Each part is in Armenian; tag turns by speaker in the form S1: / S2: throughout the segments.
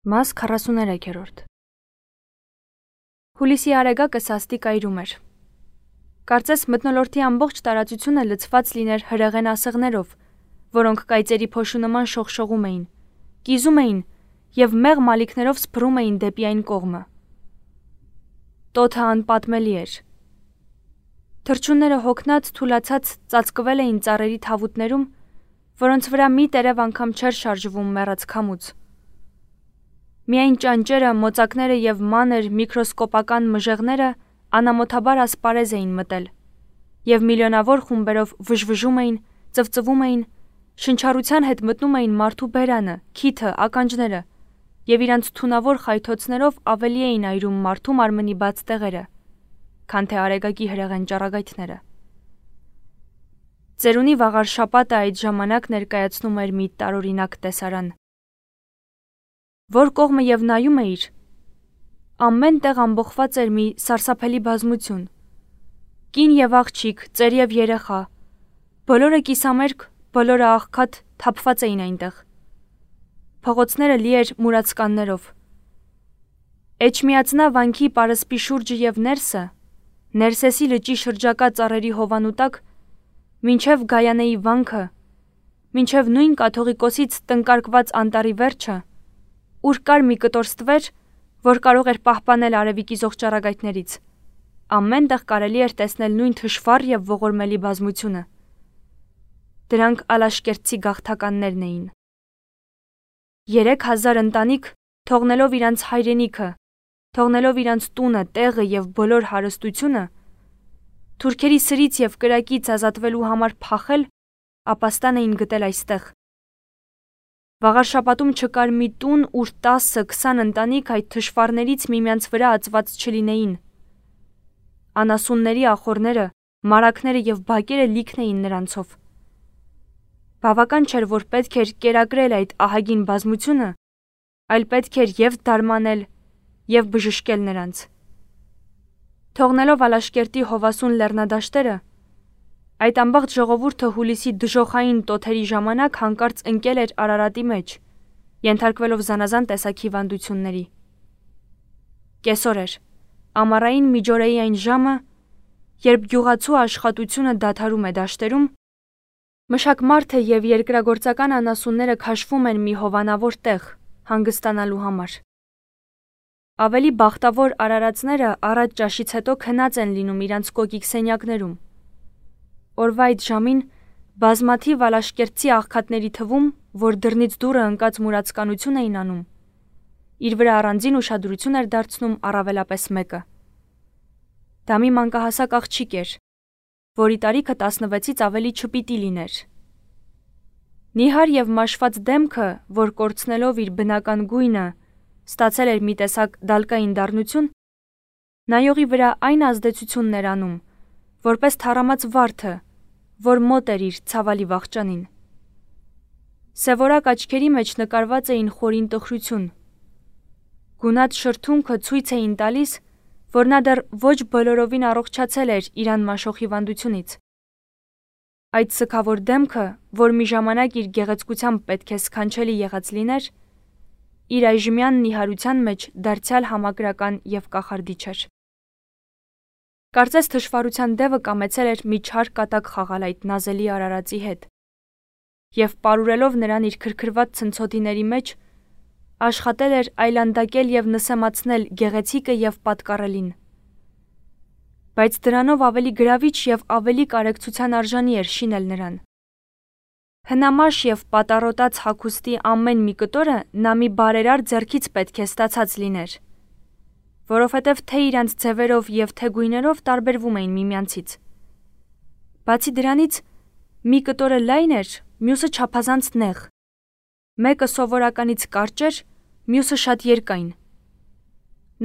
S1: Մաս 43 Հուլիսի արեգակը սաստիկ այրում էր։ Կարծես մթնոլորտի ամբողջ տարածությունը լցված լիներ հրեղեն ասեղներով, որոնք կայծերի փոշու նման շողշողում էին, կիզում էին և մեղ մալիքներով սփռում էին դեպի այն կողմը։ Տոթը անպատմելի էր։ Թռչունները հոգնած թուլացած ծածկվել էին ծառերի թավուտներում, որոնց վրա մի տերև անգամ չէր շարժվում մեռած քամուց։ Միայն ճանճերը, մոծակները և մանր միկրոսկոպական մժեղները անամոթաբար ասպարեզ էին մտել և միլիոնավոր խումբերով վժվժում էին, ծվծվում էին, շնչառության հետ մտնում էին մարդու բերանը, քիթը, ականջները և իրանց թունավոր խայթոցներով ավելի էին այրում մարդու մարմնի բաց տեղերը, քան թե արեգակի հրեղեն ճառագայթները։ Ծերունի վաղար շաբաթը այդ ժամանակ ներկայացնում էր մի տարօրինակ տեսարան։ Որ կողմը և նայում էիր, ամեն տեղ ամբողված էր մի սարսափելի բազմություն։ Կին և աղջիկ, ծեր և երեխա, բոլորը կիսամերկ, բոլորը աղքատ թափված էին այնտեղ։ Փողոցները լի էր մուրացկաններով։ Էջմիածնա վանքի պարսպի շուրջը և Ներսեսի լճի շրջակա ծառերի հովանու տակ, մինչև Գայանեի վանքը, մինչև նույն կաթողիկոսից տնկարկված անտառի վերջը, ուր կար մի կտոր ստվեր, որ կարող էր պահպանել արևի կիզող ճառագայթներից, ամեն տեղ կարելի էր տեսնել նույն թշվառ և ողորմելի բազմությունը։ Դրանք ալաշկերտցի գաղթականներն էին։ 3000 ընտանիք, թողնելով իրանց հայրենիքը, թողնելով իրանց տունը, տեղը և բոլոր հարստությունը, թուրքերի սրից և կրակից ազատվելու համար փախել, ապաստան էին գտել այստեղ։ Վաղար շաբաթում չկար մի տուն, ուր 10-20 ընտանիք այդ թշվառներից միմյանց վրա ածված չլինեին։ Անասունների ախոռները, մարակները և բակերը լիքն էին նրանցով։ Բավական չէր, որ պետք էր կերակրել այդ ահագին բազմությունը, այլ պետք էր և դարմանել, և բժշկել նրանց։ Թողնելով Ալաշկերտի հովասուն լեռնադաշտերը, այդ ամբողջ ժողովուրդը հուլիսի դժոխային տոթերի ժամանակ հանկարծ ընկել էր Արարատի մեջ, ենթարկվելով զանազան տեսակ հիվանդությունների։ Կեսօր էր, ամառային միջօրեի այն ժամը, երբ գյուղացու աշխատությունը դադարում է դաշտերում, մշակմարդը և երկրագործական անասունները քաշվում են մի հովանավոր տեղ, հանգստանալու համար։ Ավելի բախտավոր արարածները առատ ճաշից հետո քնած են լինում իրանց կոկիկ սենյակներում։ Օրվա այդ ժամին բազմաթիվ ալաշկերտցի աղքատների թվում, որ դռնից դուռը ընկած մուրացկանություն էին անում, իր վրա առանձին ուշադրություն էր դարձնում առավելապես մեկը։ Դա մի մանկահասակ աղջիկ էր, որի տարիքը 16-ից ավելի չպիտի լիներ։ Նիհար և մաշված դեմքը, որ կորցնելով իր բնական գույնը, ստացել էր մի տեսակ դալկային դառնություն, նայողի վրա այն ազդեցությունն էր անում, որպես թառամած վարդը, որ մոտ էր իր ցավալի վախճանին։ Սևորակ աչքերի մեջ նկարված էին խորին տխրություն։ Գունատ շրթունքը ցույց էին տալիս, որ նա դեռ ոչ բոլորովին առողջացել էր իրան մաշող հիվանդությունից։ Այդ սգավոր դեմքը, որ մի ժամանակ իր գեղեցկությամբ պետք է սքանչելի եղած լիներ, իր այժմյան նիհարության մեջ դարձյալ համակրական և կախարդիչ էր։ Կարծես թշվառության դևը կամեցել էր մի չար կատակ խաղալ այդ նազելի արարածի հետ և պարուրելով նրան իր քրքրված ցնցոտիների մեջ, աշխատել էր այլանդակել և նսեմացնել գեղեցիկը և պատկառելին։ Բայց դրանով ավելի գրավիչ և ավելի կարեկցության արժանի էր շինել նրան։ Հնամաշ և պատառոտած հագուստի ամեն մի կտորը նա մի բարերար ձեռքից պետք է ստացած լիներ, որովհետև թե իրանց ձևերով և թե գույներով տարբերվում էին միմյանցից։ Բացի դրանից, մի կտորը լայն էր, մյուսը չափազանց նեղ, մեկը սովորականից կարճ էր, մյուսը շատ երկայն։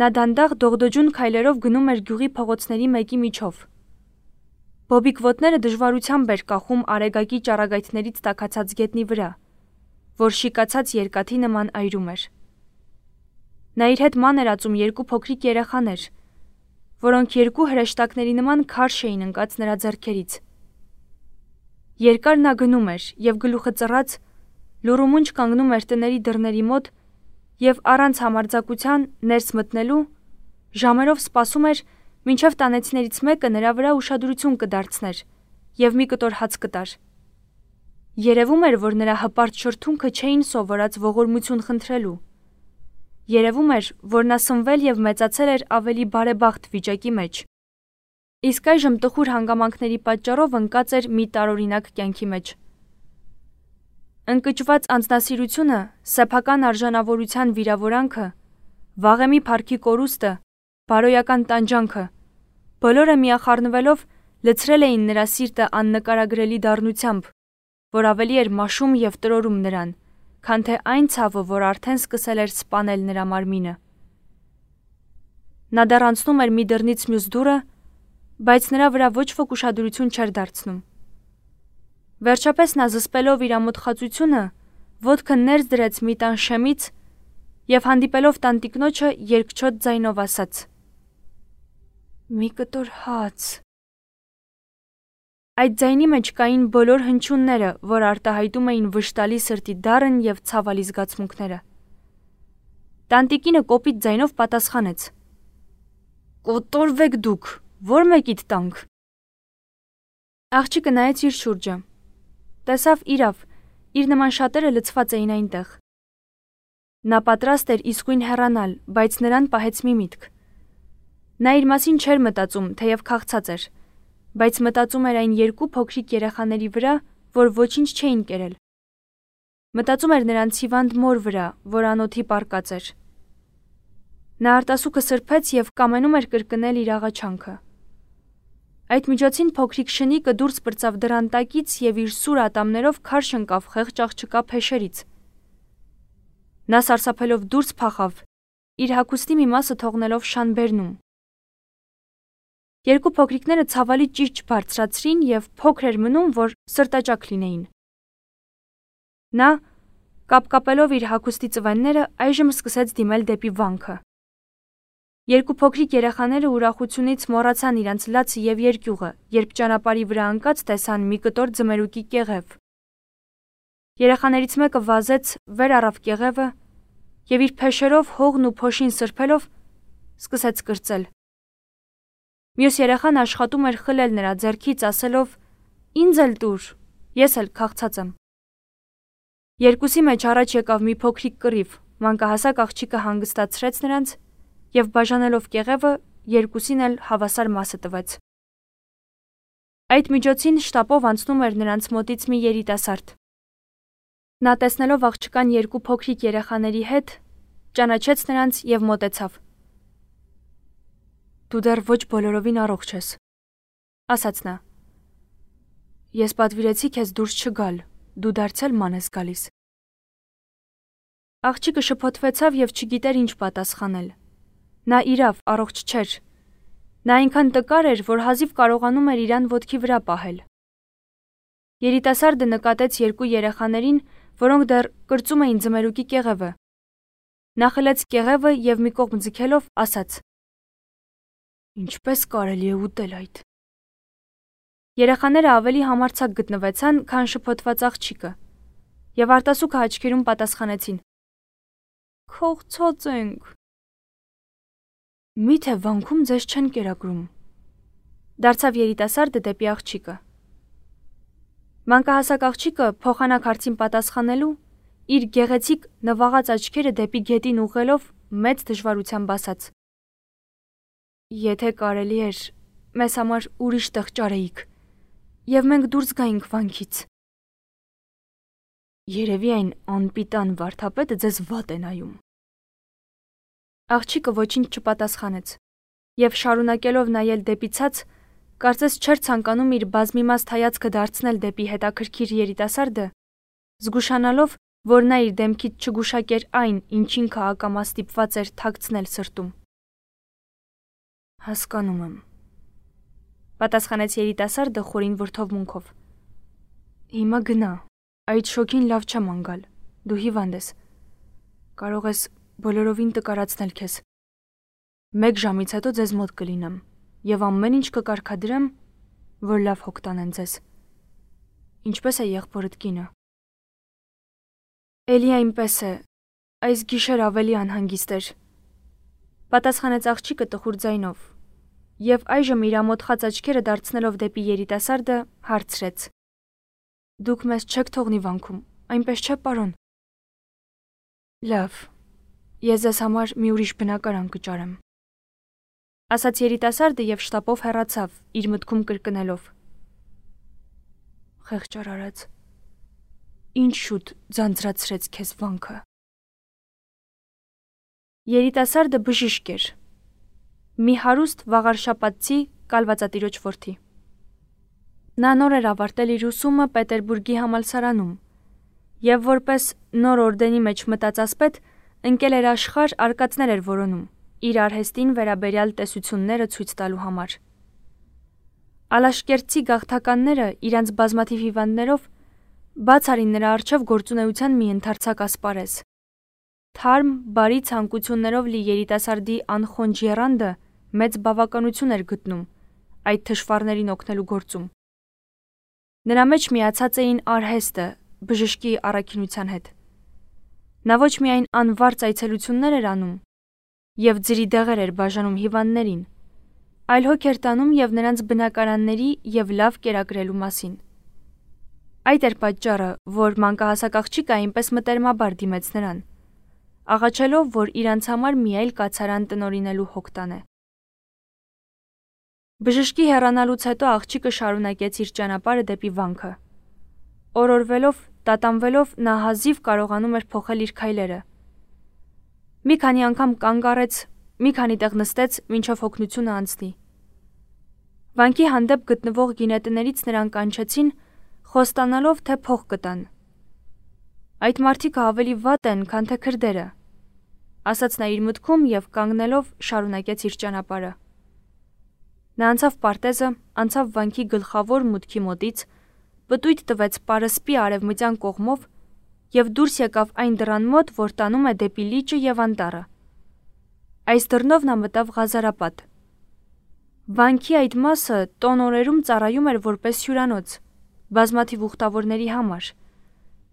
S1: Նա դանդաղ դողդոջուն քայլերով գնում էր գյուղի փողոցների մեկի միջով։ Բոբիկ ոտները դժվարությամբ էր կախում արեգակի ճառագայթներից տաքացած գետնի վրա, որ շիկացած երկաթի նման այրում էր։ Նա իր հետ ման էր ածում երկու փոքրիկ երեխաներ, որոնք երկու հրեշտակների նման քարշ էին ընկած նրա ձեռքերից։ Երկար նա գնում էր և գլուխը ծռած, լուռումունջ կանգնում էր տների դռների մոտ եւ առանց համարձակության ներս մտնելու ժամերով սպասում էր, մինչև տանեցիներից մեկը նրա վրա ուշադրություն կդարձներ եւ մի կտոր հաց կտար։ Երևում էր, որ նրա հպարտ շրթունքը չէին սովորած ողորմություն խնդրելու։ Երևում էր, որ նա սնվել եւ մեծացել էր ավելի բարեբախտ վիճակի մեջ։ Իսկ այժմ տխուր հանգամանքների պատճառով ընկած էր մի տարօրինակ կյանքի մեջ։ Ընկճված անձնասիրությունը, սեփական արժանավորության վիրավորանքը, վաղեմի փառքի կորուստը, բարոյական տանջանքը, բոլորը միախառնվելով լցրել էին նրա սիրտը աննկարագրելի դառնությամբ, որ ավելի էր մաշում եւ տրորում նրան, քան թե այն ցավը, որ արդեն սկսել էր սպանել նրա մարմինը։ Նա դեռ անցնում էր մի դռնից մյուս դուռը, բայց նրա վրա ոչ ոք ուշադրություն չէր դարձնում։ Վերջապես նա զսպելով իր ամոթխածությունը, ոտքը ներս դրեց մի տան շեմից եւ հանդիպելով տանտիկնոջը երկչոտ ձայնով ասաց. «Մի կտոր հաց»։ Այդ ձայնի մեջ կային բոլոր հնչյունները, որ արտահայտում էին վշտալի սրտի դառն եւ ցավալի զգացմունքները։ Տանտիկինը կոպիտ ձայնով պատասխանեց. «Կոտորվեք դուք, ո՞ր մեկիդ տանք»։ Աղջիկը նայեց իր շուրջը։ Տեսավ իրավ, իր նման շատերը լցված էին այնտեղ։ Նա պատրաստ էր իսկույն հեռանալ, բայց նրան պահեց մի միտք։ Նա իր մասին չէր մտածում, թեև քաղցած էր, բայց մտածում էր այն երկու փոքրիկ երեխաների վրա, որ ոչինչ չէին կերել։ Մտածում էր նրանց հիվանդ մոր վրա, որ անոթի պառկած էր։ Նա արտասուքը սրբեց եւ կամենում էր կրկնել իր աղաչանքը։ Այդ միջոցին փոքրիկ շնիկը դուրս պրծավ դռան տակից եւ իր սուր ատամներով քարշ ընկավ խեղճ աղջկա փեշերից։ Նա սարսափելով դուրս փախավ, իր հագուստի մի մասը թողնելով շանբերնում։ Երկու փոքրիկները ցավալի ճիճ բարձրացրին եւ փոքր էր մնում, որ սրտաճաք լինեին։ Նա, կապկապելով իր հագուստի ծվենները, այժմ սկսեց դիմել դեպի վանքը։ Երկու փոքրիկ երեխաները ուրախությունից մոռացան իրենց լացը եւ երկյուղը, երբ ճանապարհի վրա ընկած տեսան մի կտոր ձմերուկի կեղև։ Երեխաներից մեկը վազեց, վեր առավ կեղևը եւ իր փեշերով հողն ու փոշին սրբելով սկսեց կրծել։ Մյուս երեխան աշխատում էր խլել նրա ձեռքից, ասելով. «Ինձ էլ տուր, ես էլ քաղցած եմ»։ Երկուսի մեջ առաջ եկավ մի փոքրիկ կռիվ, մանկահասակ աղջիկը հանգստացրեց նրանց եւ բաժանելով կեղևը, երկուսին էլ հավասար մասը տվեց։ Այդ միջոցին շտապով անցնում էր նրանց մոտից մի երիտասարդ։ Նա տեսնելով աղջկան երկու փոքրիկ երեխաների հետ, ճանաչեց նրանց եւ մոտեցավ։ «Դու դեռ ոչ բոլորովին առողջ ես», ասաց նա։ «Ես պատվիրեցի քեզ դուրս չգալ, դու դարձյալ ման ես գալիս»։ Աղջիկը շփոթվեցավ եւ չգիտեր ինչ պատասխանել։ Նա իրավ առողջ չէր։ Նա այնքան տկար էր, որ հազիվ կարողանում էր իրան ոտքի վրա պահել։ Երիտասարդը նկատեց երկու երեխաներին, որոնք դեռ կրծում էին ձմերուկի կեղևը։ Նա խլեց կեղևը եւ մի կողմ ձգելով ասաց. «Ինչպես կարելի է ուտել այդ»։ Երեխաները ավելի համարձակ գտնվեցան, քան շփոթված աղջիկը, եւ արտասուքը աչքերում պատասխանեցին. «Քաղցած ենք»։ «Միթե վանքում ձեզ չեն կերակրում», դարձավ երիտասարդը դեպի աղջիկը։ Մանկահասակ աղջիկը փոխանակ հարցին պատասխանելու իր գեղեցիկ նվաղած աչքերը դեպի գետին ուղղելով մեծ դժվարությամբ ասաց. «Եթե կարելի էր, մեզ համար ուրիշ տեղ ճարեիք, եւ մենք դուրս գայինք վանքից»։ Երևի այն անպիտան վարդապետը ձեզ վատ է նայում։ Աղջիկը ոչինչ չպատասխանեց եւ շարունակելով նայել դեպի ցած, կարծես չէր ցանկանում իր բազմիմաստ հայացքը դարձնել դեպի հետաքրքիր երիտասարդը, զգուշանալով, որ նա իր դեմքից չգուշակեր այն, ինչին ակամա ստիպված էր թաքցնել սրտում։ «Հասկանում եմ», պատասխանեց երիտասարդը խորին վրդովմունքով։ «Հիմա գնա, այդ շոքին լավ չեմ անգալ, դու հիվանդ ես, կարող ես բոլորովին տկարացնել քեզ։ 1 ժամից հետո ձեզ մոտ կլինեմ եւ ամեն ինչ կկարգադրեմ, որ լավ հոգ տանեն ձեզ։ Ինչպես է եղբորդ կինը»։ «Էլի այնպես է, այս գիշեր ավելի անհանգիստ էր, պատասխանեց աղջիկը տխուր ձայնով, եւ այժմ իր ամոթխած աչքերը դարձնելով դեպի երիտասարդը հարցրեց. Դուք մեզ չեք թողնի վանքում, այնպես չէ, պարոն։ Լավ, ես ձեզ համար մի ուրիշ բնակարան կճարեմ, ասաց երիտասարդը եւ շտապով հեռացավ, իր մտքում կրկնելով. Խեղճար արած, ինչ շուտ ձանձրացրեց քեզ վանքը։ Երիտասարդը բժիշկ էր, մի հարուստ վաղարշապատցի կալվածատիրոջ որդի։ Նա նոր էր ավարտել իր ուսումը Պետերբուրգի համալսարանում եւ որպես նոր օրդենի մեջ մտած ասպետ ընկել էր աշխարհ արկածներ էր որոնում, իր արհեստին վերաբերյալ տեսությունները ցույց տալու համար։ Ալաշկերտցի գաղթականները իրանց բազմաթիվ հիվանդներով բաց արին նրա առջև գործունեության մի ընդարձակ ասպարեզ։ Թարմ, բարի ցանկություններով լի երիտասարդի անխոնջ եռանդը մեծ բավականություն էր գտնում այդ թշվառներին օգնելու գործում։ Նրա մեջ միացած էին արհեստը բժշկի առաքինության հետ։ Նա ոչ միայն անվարձ այցելություններ էր անում եւ ձրի դեղեր էր բաժանում հիվանդներին, այլ հոգ էր տանում եւ նրանց բնակարանների եւ լավ կերակրելու մասին։ Այդ էր պատճառը, որ մանկահասակ աղջիկը այնպես մտերմաբար դիմեց նրան, աղաչելով, որ իրանց համար մի այլ կացարան տնօրինելու հոգ տանե։ Բժշկի հեռանալուց հետո աղջիկը շարունակեց իր ճանապարհը դեպի վանքը։ Օրորվելով, տատանվելով նա հազիվ կարողանում էր փոխել իր քայլերը։ Մի քանի անգամ կանգ առեց, մի քանի տեղ նստեց, մինչև հոգնությունը անցնի։ Վանքի հանդեպ գտնվող գինետներից նրան կանչեցին, խոստանալով, թե փող կտան։ Այդ մարդիկը ավելի վատ են, քան թե քրդերը, ասաց նա իր մտքում եւ կանգնելով շարունակեց իր ճանապարհը։ Նա անցավ պարտեզը, անցավ վանքի գլխավոր մուտքի մոտից, պտույտ տվեց պարսպի արևմտյան կողմով եւ դուրս եկավ այն դռան մոտ, որ տանում է դեպի լիճը եւ անտառը։ Այս դռնով նա մտավ Ղազարապատ։ Վանքի այդ մասը տոն օրերում ծառայում էր որպես հյուրանոց, բազմաթիվ ուխտավորների համար,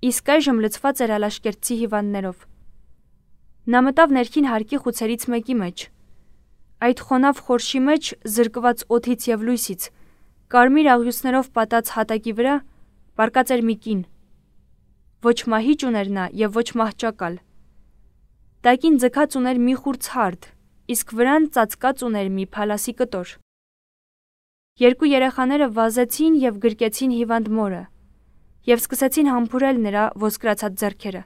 S1: իսկ այժմ լցված էր ալաշկերտցի հիվանդներով։ Նա մտավ ներքին հարկի խուցերից մեկի մեջ։ Այդ խոնավ խորշի մեջ, զրկված օդից եւ լույսից, կարմիր աղյուսներով պատած հատակի վրա պառկած էր մի կին։ Ոչ մահիճ ուներ նա եւ ոչ մահճակալ։ Տակին ձգած ուներ մի խուր ցարդ, իսկ վրան ծածկած ուներ մի փալասի կտոր։ Երկու երեխաները վազեցին եւ գրկեցին հիվանդ մորը եւ սկսեցին համբուրել նրա ոսկրացած ձեռքերը։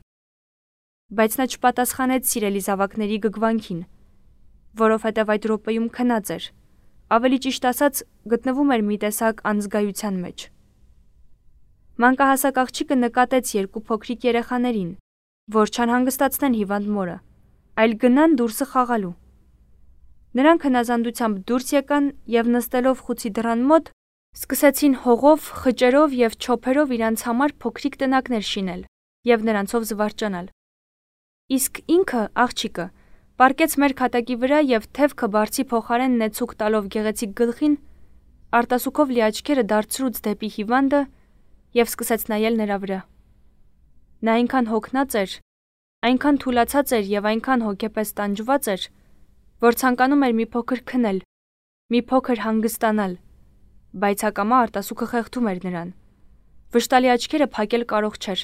S1: Բայց նա չպատասխանեց սիրելի զավակների գգվանքին, որովհետև այդ րոպեում քնած էր, ավելի ճիշտ ասած գտնվում էր մի տեսակ անզգայության մեջ։ Մանկահասակ աղջիկը նկատեց երկու փոքրիկ երեխաներին, որ չանհանգստացնեն հիվանդ մորը, այլ գնան դուրսը խաղալու։ Նրանք հնազանդությամբ դուրս եկան եւ նստելով խուցի դռան մոտ, սկսեցին հողով, խճերով եւ չոփերով իրանց համար փոքրիկ տնակներ շինել եւ նրանցով զվարճանալ։ Իսկ ինքը, աղջիկը, պառկեց մեր քատակի վրա եւ թևքը բարձի փոխարեն նեցուկ տալով գեղեցիկ գլխին, արտասուքով լի աչքերը դարձրուց դեպի հիվանդը եւ սկսեց նայել նրա վրա։ Նա այնքան հոգնած էր, այնքան թուլացած էր եւ այնքան հոգեպես տանջված էր, որ ցանկանում էր մի փոքր քնել, մի փոքր հանգստանալ, բայց հակամա արտասուքը խեղդում էր նրան։ Վշտալի աչքերը փակել կարող չէր։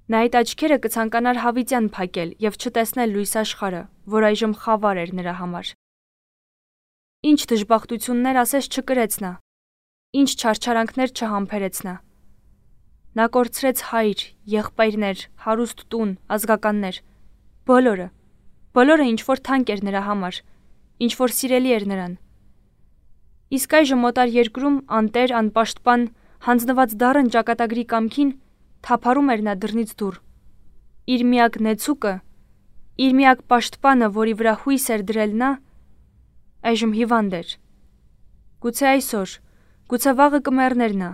S1: Նա այդ աչքերը կցանկանար հավիտյան փակել եւ չտեսնել լույս աշխարհը, որ այժմ խավար էր նրա համար։ Ինչ դժբախտություններ ասես չկրեց նա, ինչ չարչարանքներ չհամբերեց նա։ Նա կորցրեց հայր, եղբայրներ, հարուստ տուն, ազգականներ, բոլորը ինչ որ թանկ էր նրա համար, ինչ որ սիրելի էր նրան։ Իսկ այժմ մոտար երկրում անտեր, անպաշտպան, հանձնված դառն ճակատագրի կամքին թափառում էր նա դռնից դուռ։ Իր միակ նեցուկը, իր միակ պաշտպանը, որի վրա հույս էր դրել նա, այժմ հիվանդ էր։ Գուցե այսօր, գուցե վաղը կմեռներ նա։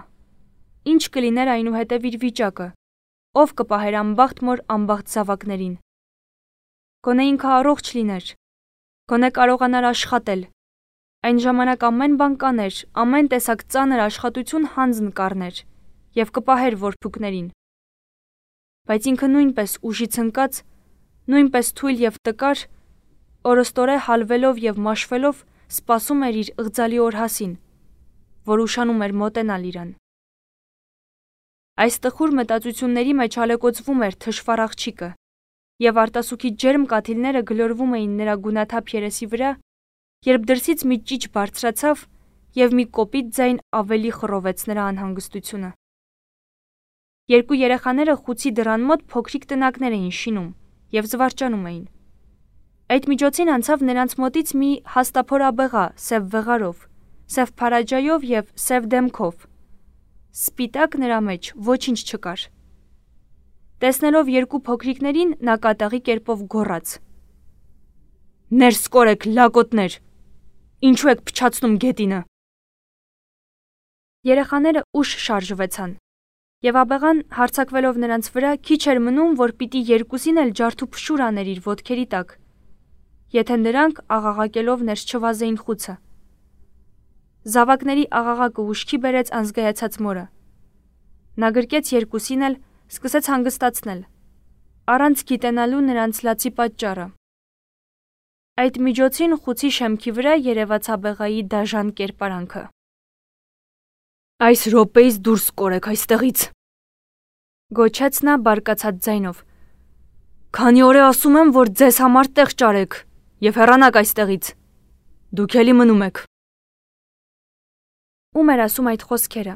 S1: Ինչ կլիներ այնուհետև իր վիճակը, ով կպահեր անբախտ մոր անբախտ զավակներին։ Գոնե ինքը առողջ լիներ, գոնե կարողանար աշխատել։ Այն ժամանակ ամեն բան կաներ, ամեն տեսակ ծանր աշխատություն հանձն կառներ եւ կպահեր որփուկներին։ Բայց ինքը նույնպես ուժից ընկած նույնպես թույլ եւ տկար, օրոստորե հալվելով եւ մաշվելով սպասում էր իր ըղձալի օրհասին, որ ուշանում էր մոտենալ իրան։ Այս տխուր մտածությունների մեջ ալեկոծվում էր թշվառ աղջիկը, եւ արտասուքի ջերմ կաթիլները գլորվում էին նրա գունաթափ երեսի վրա, երբ դրսից մի ճիչ բարձրացավ եւ մի կոպիտ ձայն ավելի խռովեց նրա անհանգստությունը։ Երկու երեխաները խուցի դռան մոտ փոքրիկ տնակներ էին շինում եւ զվարճանում էին։ Այդ միջոցին անցավ նրանց մոտից մի հաստափոր աբեղա սև վեղարով, սև փարաջայով եւ սև դեմքով։ Սպիտակ նրա մեջ ոչինչ չկար։ Տեսնելով երկու փոքրիկներին, նա կատաղի կերպով գոռաց. «Ներս կորեք, լակոտներ, ինչու եք փչացնում գետինը»։ Երեխաները ուշ շարժվեցան, եւ աբեղան հարձակվելով նրանց վրա քիչ էր մնում, որ պիտի երկուսին էլ ջարդուփշուր աներ իր ոտքերի տակ, եթե նրանք աղաղակելով ներս չվազեին խուցը։ Զավակների աղաղակը ուշքի բերեց անզգայացած մորը։ Նա գրկեց երկուսին էլ, սկսեց հանգստացնել, առանց գիտենալու նրանց լացի պատճառը։ Այդ միջոցին խուցի շեմքի վրա երևաց աբեղայի դաժան կերպարանքը։ «Այս րոպեից դուրս կորեք այստեղից», գոչեց նա բարկացած ձայնով։ «Քանի օր է ասում եմ, որ ձեզ համար տեղ ճարեք եւ հեռանաք այստեղից։ Դուք էլի մնում եք»։ Ում էր ասում այդ խոսքերը։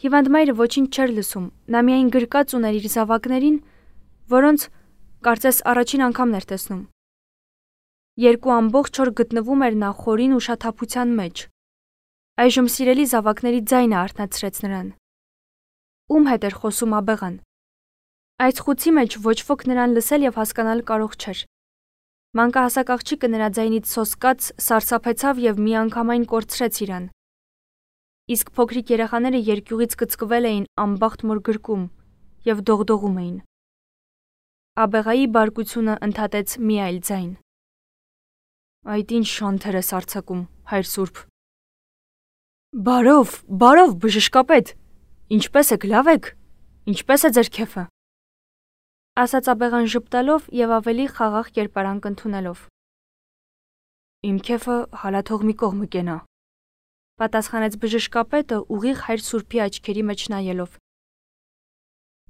S1: Հիվանդ մայրը ոչինչ չէր լսում, նա միայն գրկած ուներ իր զավակներին, որոնց կարծես առաջին անգամն էր տեսնում։ Երկու ամբողջ օր գտնվում էր նա խորին ուշաթափության մեջ։ Այժմ սիրելի զավակների ձայնը արթնացրեց նրան։ Ում հետ էր խոսում աբեղան։ Այս խուցի մեջ ոչ ոք նրան լսել եւ հասկանալ կարող չէր։ Մանկահասակ աղջիկը նրա ձայնից սոսկաց, սարսափեցավ եւ միանգամայն կորցրեց իրան։ Իսկ փոքրիկ երեխաները երկյուղից կծկվել էին անբախտ մոր գրկում եւ դողդողում էին։ Աբեղայի բարկությունը ընդհատեց մի այլ ձայն. «Այդ ինչ շանթեր ես արձակում, հայր Սուրբ»։ «Բարով, բժշկապետ, ինչպե՞ս եք, լավ եք, ինչպե՞ս է ձեր քեֆը», ասաց աբեղան ժպտալով եւ ավելի խաղաղ կերպարանք ընդունելով։ «Իմ քեֆը հալաթող մի կողմը կենա», պատասխանեց բժշկապետը ուղիղ հայր Սուրբի աչքերի մեջ նայելով։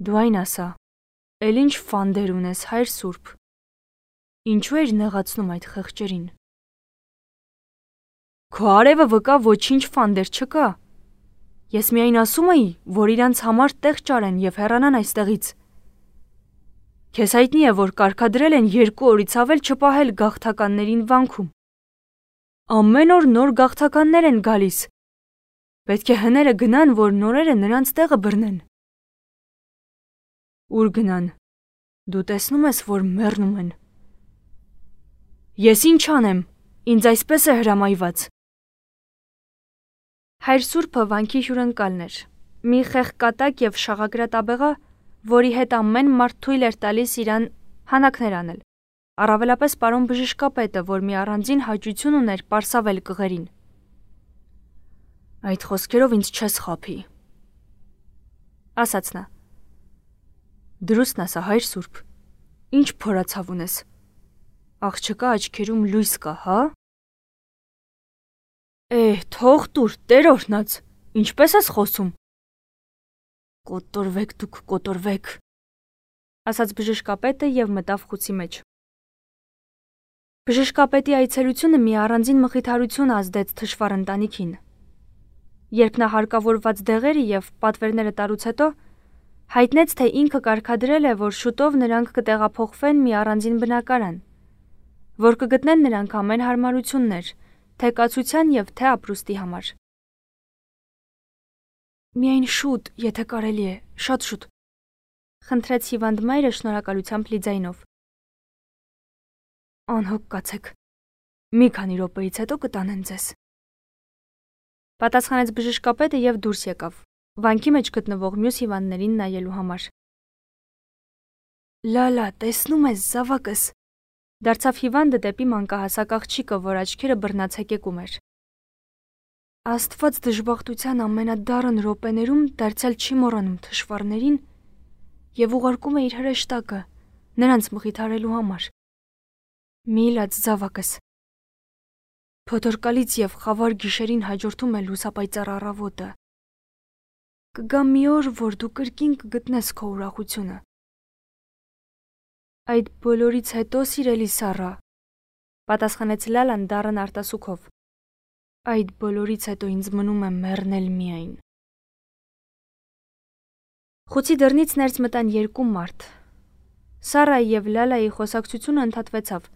S1: «Դու այն ասա, էլ ինչ ֆանդեր ունես, հայր Սուրբ, ինչու էր նեղացնում այդ խեղճերին»։ «Քո արևը վկա ոչինչ ֆանդեր չկա։ Ես միայն ասում էի, որ իրանց համար տեղ ճարեն եւ հեռանան այստեղից։ Քեզ հայտնի է, որ կարգադրել են 2 օրից ավել չպահել գաղթականներին վանքում։ Ամեն օր նոր գաղթականներ են գալիս։ Պետք է հները գնան, որ նորերը նրանց տեղը բռնեն»։ «Ուր գնան։ Դու տեսնում ես, որ մեռնում են»։ «Ես ինչ անեմ, ինձ այսպես է հրամայված»։ Հայր Սուրբը վանքի հյուրընկալն էր, մի խեղկատակ եւ շաղագրատ աբեղա, որի հետ ամեն մարդ թույլ էր տալիս իրան հանակներ անել, առավելապես պարոն բժշկապետը, որ մի առանձին հաճույություն ուներ պարսավել կղերին։ «Այդ խոսքերով ինձ չես խաբի», ասաց նա։ «Դրուստն ասա, հայր Սուրբ, ինչ փորացավ ունես, աղջկա աչքերում լույս կա, հա»։ Թող տուր, Տեր օրհնած, ինչպես ես խոսում։ «Կոտորվեք դուք, կոտորվեք», ասաց բժշկապետը եւ մտավ խուցի մեջ։ Բժշկապետի այցելությունը մի առանձին մխիթարություն ազդեց թշվառ ընտանիքին։ Երբ նա հարկավորված դեղերը եւ պատվերները տարուց հետո հայտնեց, թե ինքը կարգադրել է, որ շուտով նրանք կտեղափոխվեն մի առանձին բնակարան, որ կգտնեն նրանք ամեն հարմարություններ, թե կացության եւ թե ապրուստի համար։ «Միայն շուտ, եթե կարելի է, շատ շուտ», խնդրեց հիվանդ մայրը շնորհակալությամբ լի ձայնով։ «Անհոգ կացեք, մի քանի րոպեից հետո կտանեն ձեզ», պատասխանեց բժշկապետը եւ դուրս եկավ, վանքի մեջ գտնվող մյուս հիվանդներին նայելու համար։ «Լալա, տեսնում ես, զավակս», դարձավ հիվանդը դեպի մանկահասակ աղջիկը, որ աչքերը բռնացեկեկում էր։ «Աստված դժբախտության ամենադառն րոպեներում դարձյալ չի մոռանում թշվառներին եւ ուղարկում է իր հրեշտակը նրանց մխիթարելու համար»։ Միլած զավակս։ Փոթորկալից եւ խավար գիշերին հաջորդում է լուսապայծառ առավոտը։ Կգա մի օր, որ դու կրկին կգտնես քո ուրախությունը։ Այդ բոլորից հետո, սիրելի Սառա, պատասխանեց Լալան դառն արտասուքով։ Այդ բոլորից հետո ինձ մնում է մեռնել միայն։ Խուցի դռնից ներս մտան երկու մարդ։ Սառայի եւ Լալայի խոսակցությունը ընդհատվեցավ։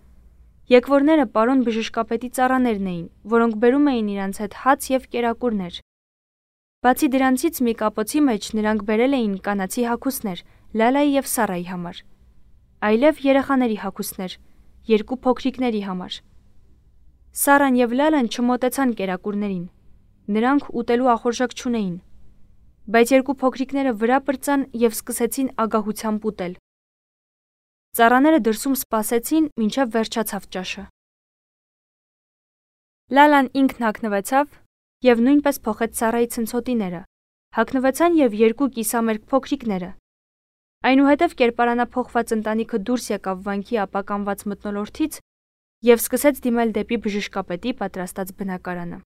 S1: Եկվորները պարոն բժշկապետի ծառաներն էին, որոնք բերում էին իրանց հետ հաց եւ կերակուրներ։ Բացի դրանցից մի կապոցի մեջ նրանք բերել էին կանացի հագուստներ Լալայի եւ Սառայի համար, այլև երեխաների հագուստներ, երկու փոքրիկների համար։ Սառան եւ Լալան չմոտեցան կերակուրներին։ Նրանք ուտելու ախորժակ չունեին, բայց երկու փոքրիկները վրա պրծան եւ սկսեցին ագահությամբ ուտել։ Ծառաները դրսում սպասեցին, մինչև վերջացավ ճաշը։ Լալան ինքն հագնվեցավ եւ նույնպես փոխեց Սառայի ցնցոտիները։ Հագնվեցան եւ երկու կիսամերկ փոքրիկները։ Այնուհետև կերպարանափոխված ընտանիքը դուրս եկավ վանքի ապականված մթնոլորտից եւ սկսեց դիմել դեպի բժշկապետի պատրաստած բնակարանը։